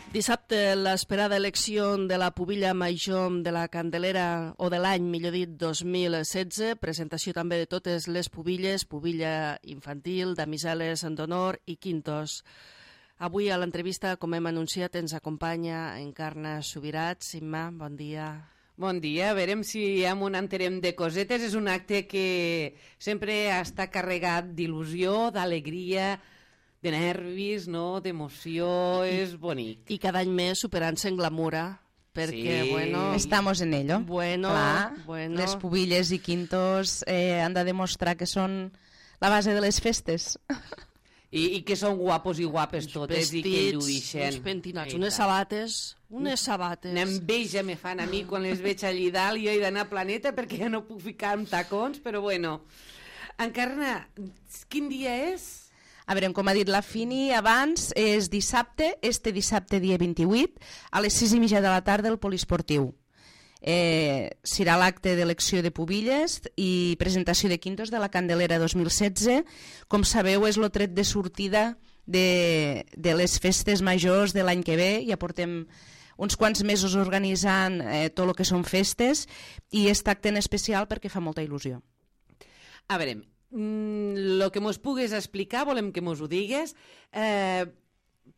Dissabte, l'esperada elecció de la pubilla major de la Candelera, o de l'any, millor dit, 2016, presentació també de totes les pubilles, pubilla infantil, damiseles d'honor i quintos. Avui a l'entrevista, com hem anunciat, ens acompanya Encarna Subirats. Imma, bon dia. Bon dia, a veurem si amb un enterem de cosetes. És un acte que sempre està carregat d'il·lusió, d'alegria, de nervis, no? D'emoció, és bonic. I cada any més superant-se en glamura, perquè, Sí. bueno... Estamos en ello. Bueno, Clar, bueno. les pubilles i quintos han de demostrar que són la base de les festes. I que són guapos i guapes totes i que lluixen. Uns pentinats, unes sabates, N'enveja me fan a mi quan les veig allí dalt i jo he d'anar a Planeta perquè ja no puc ficar amb tacons, però bueno. Encarna, quin dia és? A veure, com ha dit la Fini abans, és dissabte, dissabte dia 28, a les 6:30 de la tarda al Poliesportiu. Serà l'acte d'elecció de pubilles i presentació de quintos de la Candelera 2016. Com sabeu, és el tret de sortida de les festes majors de l'any que ve. Ja portem uns quants mesos organitzant tot el que són festes i aquest acte en especial perquè fa molta il·lusió. A veure, el que mos pugues explicar, volem que mos ho digues.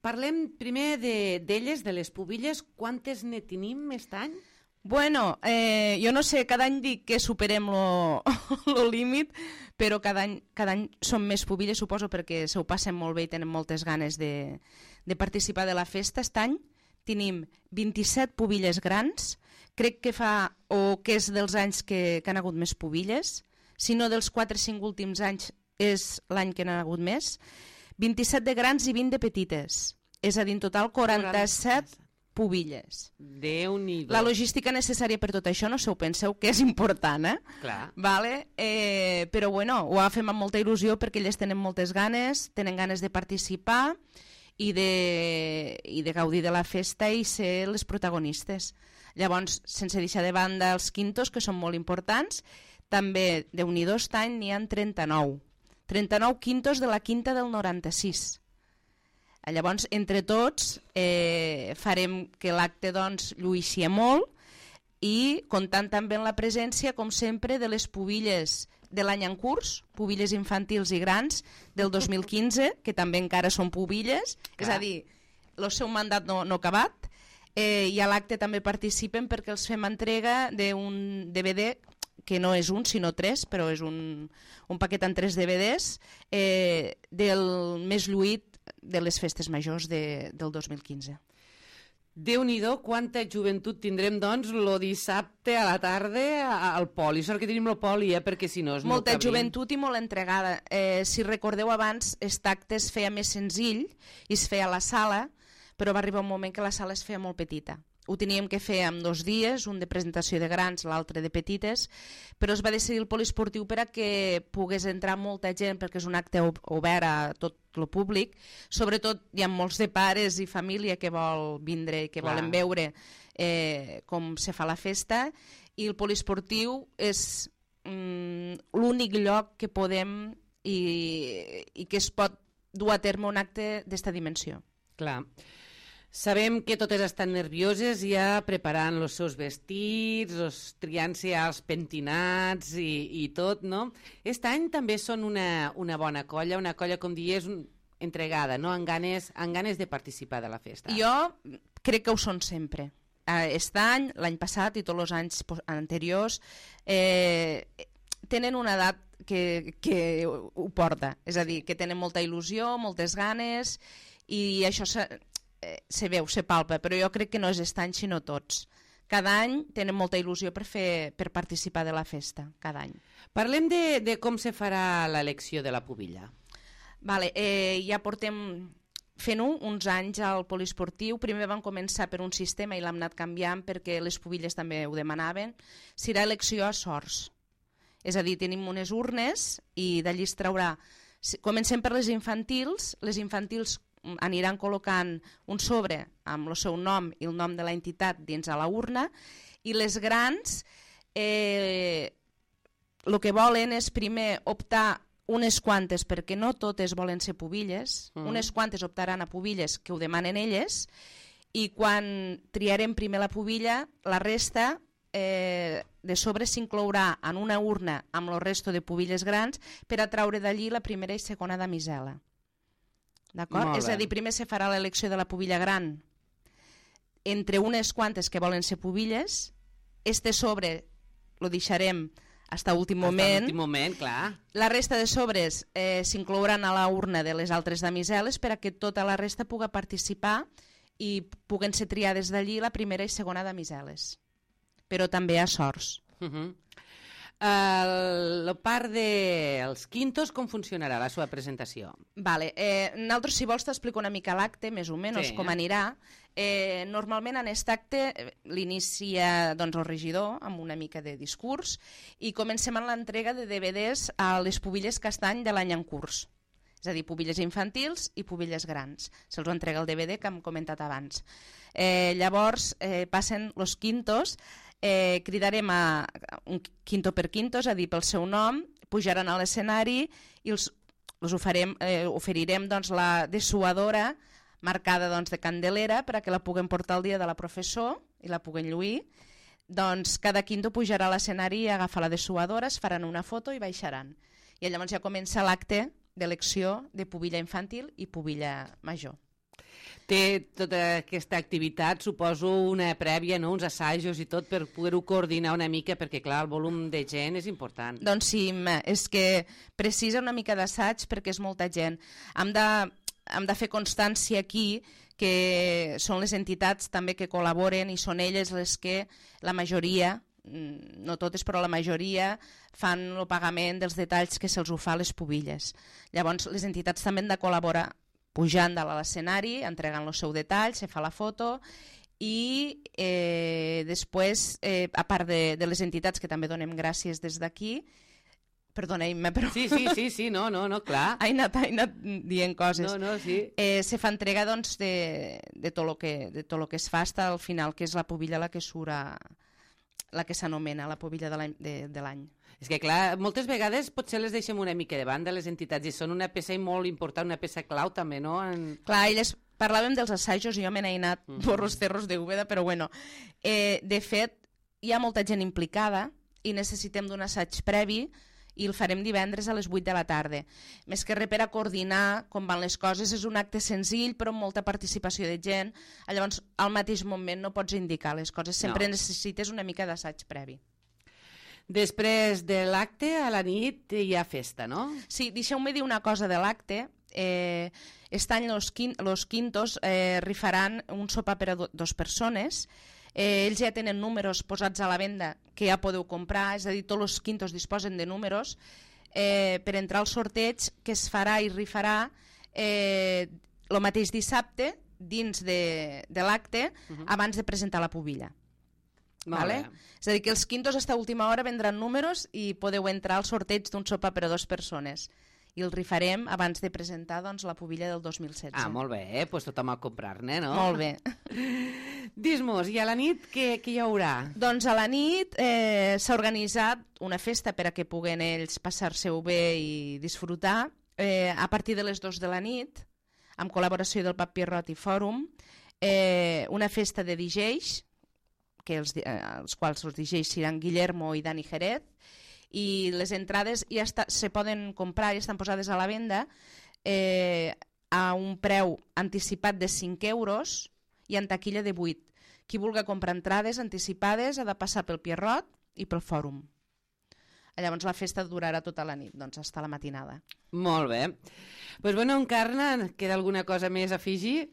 Parlem primer d'elles, de les pubilles. Quantes ne tenim aquest any? Bueno, jo no sé, cada any dic que superem el límit, però cada any són més pubilles, suposo, perquè se ho passen molt bé i tenen moltes ganes de participar de la festa. Aquest any tenim 27 pubilles grans, crec que que és dels anys que han hagut més pubilles, si no dels 4 o 5 últims anys és l'any que n'ha hagut més, 27 de grans i 20 de petites, és a dir, en total 47 pubilles. Déu-n'hi-do. La logística necessària per tot això, no se ho penseu, que és important, Clar. Vale? Però bueno, ho fem amb molta il·lusió perquè elles tenen moltes ganes, tenen ganes de participar i de gaudir de la festa i ser les protagonistes. Llavors, sense deixar de banda els quintos, que són molt importants, també, Déu-n'hi-do, aquest any n'hi ha 39. 39 quintos de la quinta del 96. Llavors, entre tots, farem que l'acte doncs, lluïssi molt i comptant també amb la presència, com sempre, de les pubilles de l'any en curs, pubilles infantils i grans del 2015, que també encara són pubilles, és a dir, el seu mandat no ha acabat, i a l'acte també participen perquè els fem entrega d'un DVD que no és un, sinó 3, però és un paquet amb 3 DVDs del més lluït de les festes majors del 2015. Déu-n'hi-do, quanta joventut tindrem, doncs, el dissabte a la tarda al poli. Sort que tenim el poli, perquè si no... Molta joventut i molt entregada. Si recordeu abans, aquest acte es feia més senzill i es feia a la sala, però va arribar un moment que la sala es feia molt petita. Ho teníem que fer en 2 dies, un de presentació de grans, l'altre de petites, però es va decidir el poliesportiu per a que pogués entrar molta gent, perquè és un acte obert a tot el públic. Sobretot hi ha molts de pares i família que vol vindre i que volen veure com se fa la festa, i el poliesportiu és l'únic lloc que podem i que es pot dur a terme un acte d'esta dimensió. Clar. Sabem que totes estan nervioses ja preparant els seus vestits, triant-se els pentinats i tot, no? Aquest any també són una bona colla, una colla, com dius, entregada, no? Amb ganes de participar de la festa. Jo crec que ho són sempre. Aquest any, l'any passat i tots els anys anteriors tenen una edat que ho porta, és a dir, que tenen molta il·lusió, moltes ganes, i això se veu, se palpa, però jo crec que no és aquest any sinó tots. Cada any tenen molta il·lusió per participar de la festa, cada any. Parlem de com se farà l'elecció de la pubilla. Vale, ja portem fent-ho uns anys al poliesportiu. Primer vam començar per un sistema i l'hem anat canviant perquè les pubilles també ho demanaven. Serà elecció a sorts. És a dir, tenim unes urnes i d'allí es traurà... Comencem per les infantils aniran col·locant un sobre amb el seu nom i el nom de l'entitat dins a la urna, i les grans el que volen és primer optar unes quantes, perquè no totes volen ser pubilles, unes quantes optaran a pubilles que ho demanen elles, i quan triarem primer la pubilla, la resta de sobre s'inclourà en una urna amb el resto de pubilles grans per a traure d'allí la primera i segona damisela. D'acord? És a dir, primer se farà l'elecció de la pubilla gran entre unes quantes que volen ser pubilles, este sobre lo deixarem fins a últim moment. Fins a l'últim moment, clar. La resta de sobres s'inclouran a la urna de les altres damiseles per a que tota la resta pugui participar i puguen ser triades d'allí la primera i segona damiseles. Però també a sorts. La part dels quintos, com funcionarà la seva presentació? Vale. Nosaltres, si vols, t'explico una mica l'acte, més o menys, com anirà. Normalment en aquest acte l'inicia el regidor amb una mica de discurs i comencem amb l'entrega de DVDs a les pubilles castany de l'any en curs. És a dir, pubilles infantils i pubilles grans. Se'ls entrega el DVD que hem comentat abans. Llavors passen els quintos, cridarem a un quinto per quinto, és a dir, pel seu nom, pujaran a l'escenari i els oferirem la dessuadora marcada de candelera per a que la puguem portar el dia de la professor i la puguem lluir. Doncs cada quinto pujarà a l'escenari i agafa la dessuadora, es faran una foto i baixaran. I llavors ja comença l'acte d'elecció de pubilla infantil i pubilla major. Té tota aquesta activitat, suposo, una prèvia, no? Uns assajos i tot per poder-ho coordinar una mica, perquè, clar, el volum de gent és important. Doncs sí, és que precisa una mica d'assaig perquè és molta gent. Hem de fer constància aquí que són les entitats també que col·laboren i són elles les que la majoria, no totes però la majoria, fan el pagament dels detalls que se'ls ho fa a les pubilles. Llavors les entitats també han de col·laborar pujant a l'escenari, entregant el seu detall, se fa la foto i després, a part de les entitats que també donem gràcies des d'aquí, perdoneu-me, però... Sí, no, clar. He anat dient coses. No, sí. Se fa entrega de tot el que es fa fins al final, que és la pubilla la que surt, la que s'anomena la pubilla de l'any. És que, clar, moltes vegades potser les deixem una mica de banda, les entitats, i són una peça molt important, una peça clau també, no? Clar, elles parlàvem dels assajos i jo me n'he anat por los cerros de Úbeda, però bueno, de fet, hi ha molta gent implicada i necessitem d'un assaig previ i el farem divendres a les 8 de la tarda. Més que res per a coordinar com van les coses, és un acte senzill però amb molta participació de gent, llavors al mateix moment no pots indicar les coses, sempre necessites una mica d'assaig previ. Després de l'acte, a la nit hi ha festa, no? Sí, deixeu-me dir una cosa de l'acte. Aquest any los quintos rifaran un sopar per a 2 persones. Ells ja tenen números posats a la venda que ja podeu comprar, és a dir, tots els quintos disposen de números per entrar al sorteig que es farà i rifarà el mateix dissabte dins de l'acte abans de presentar la pubilla. Vale? És a dir, que els quintos a última hora vendran números i podeu entrar al sorteig d'un sopar per a 2 persones. I el rifarem abans de presentar la pubilla del 2016. Ah, molt bé, doncs tothom a comprar-ne, no? Molt bé. Dis-mos, i a la nit què hi haurà? Doncs a la nit s'ha organitzat una festa per a que puguen ells passar-se-ho bé i disfrutar. A partir de les 2 de la nit, amb col·laboració del Pap Pierrot i Fòrum, una festa de DJs, els quals els DJs seran Guillermo i Dani Jerez, i les entrades ja se poden comprar i estan posades a la venda a un preu anticipat de 5 euros i en taquilla de 8. Qui vulgui comprar entrades anticipades ha de passar pel Pierrot i pel Fòrum. Llavors la festa durarà tota la nit, doncs fins a la matinada. Molt bé. Doncs bueno, Encarna, queda alguna cosa més a afegir?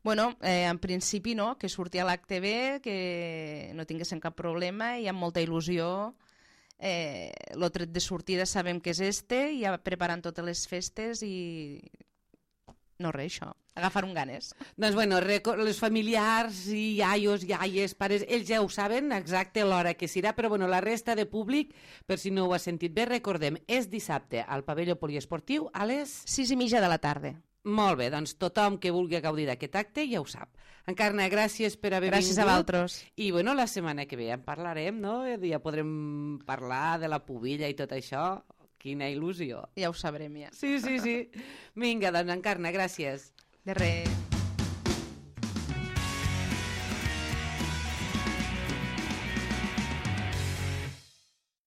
Bueno, en principi no, que surti a l'acte bé, que no tinguessin cap problema i amb molta il·lusió. El tret de sortida sabem que és i ja preparant totes les festes i no res, això, agafar un ganes. Doncs bueno, els familiars i iaios, iaies, pares, ells ja ho saben exacte l'hora que serà, però bueno, la resta de públic, per si no ho ha sentit bé, recordem, és dissabte al pavelló poliesportiu a les 6:30 de la tarda. Molt bé, doncs tothom que vulgui gaudir d'aquest acte ja ho sap. Encarna, gràcies per haver vingut. Gràcies a vosaltres. I bueno, la setmana que ve en parlarem, no? Ja podrem parlar de la pubilla i tot això. Quina il·lusió. Ja ho sabrem, ja. Sí. Vinga, doncs, Encarna, gràcies. De res.